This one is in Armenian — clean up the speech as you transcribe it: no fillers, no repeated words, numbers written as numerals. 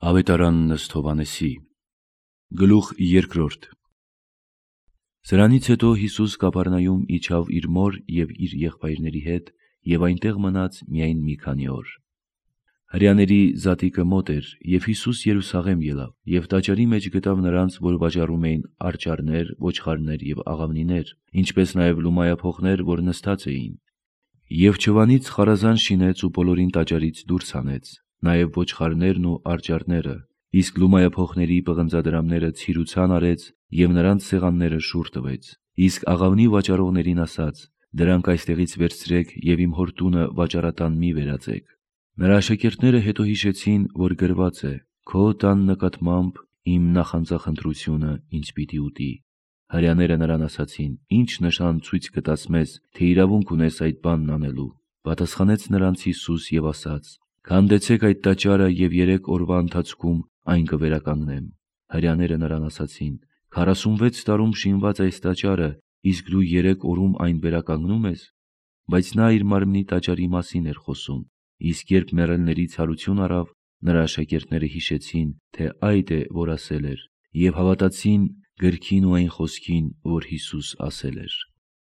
Ավետարանն ըստ Հովհաննեսի։ Գլուխ 2։ Սրանից հետո Հիսուս Կափառնայում իջավ իր մոր և իր եղբայրների հետ և այնտեղ մնաց միայն մի քանի օր։ Հրեաների զատիկը մոտ էր, և Հիսուս Երուսաղեմ ելավ, և տաճարի մեջ գտավ նրանց, որ վաճառում էին արջառներ, ոչխարներ և աղավնիներ, ինչպես նաև լումայափոխներ, որ նստած էին։ Եվ չվանից խարազան շինեց ու բոլորին տաճարից դուրս հանեց, նաև ոչխարներն ու արջառները, իսկ լումայափոխների պղնձադրամները ցիրուցան արեց և նրանց սեղանները շուռ տվեց, իսկ աղավնի վաճառողներին ասաց. «Դրանք այստեղից վերցրեք և իմ հոր տունը վաճառատան մի վերածեք»։ Նրա աշակերտները հետո հիշեցին, որ գրված է. «Քո տան նկատմամբ իմ նախանձախնդրությունը ինձ պիտի ուտի»։ Հրեաները նրան ասացին. «Ի՞նչ նշան ցույց կտաս մեզ, թե իրավունք ունես այդ բանն անելու»։ Պատասխանեց նրանց Հիսուս և ասաց. «Քանդեցեք այդ տաճարը, և 3 օրվա ընթացքում այն կվերականգնեմ»։ Հրեաները նրան ասացին. 46 տարում շինված այս տաճարը, իսկ դու 3 օրում այն վերականգնում ես։ Բայց նա իր մարմնի տաճարի մասին էր խոսում։ Իսկ երբ մեռելների ցարություն առավ, նրա աշակերտները հիշեցին, թե այդ է, որ ասել էր, և հավատացին գրքին ու այն խոսքին, որ Հիսուս ասել էր։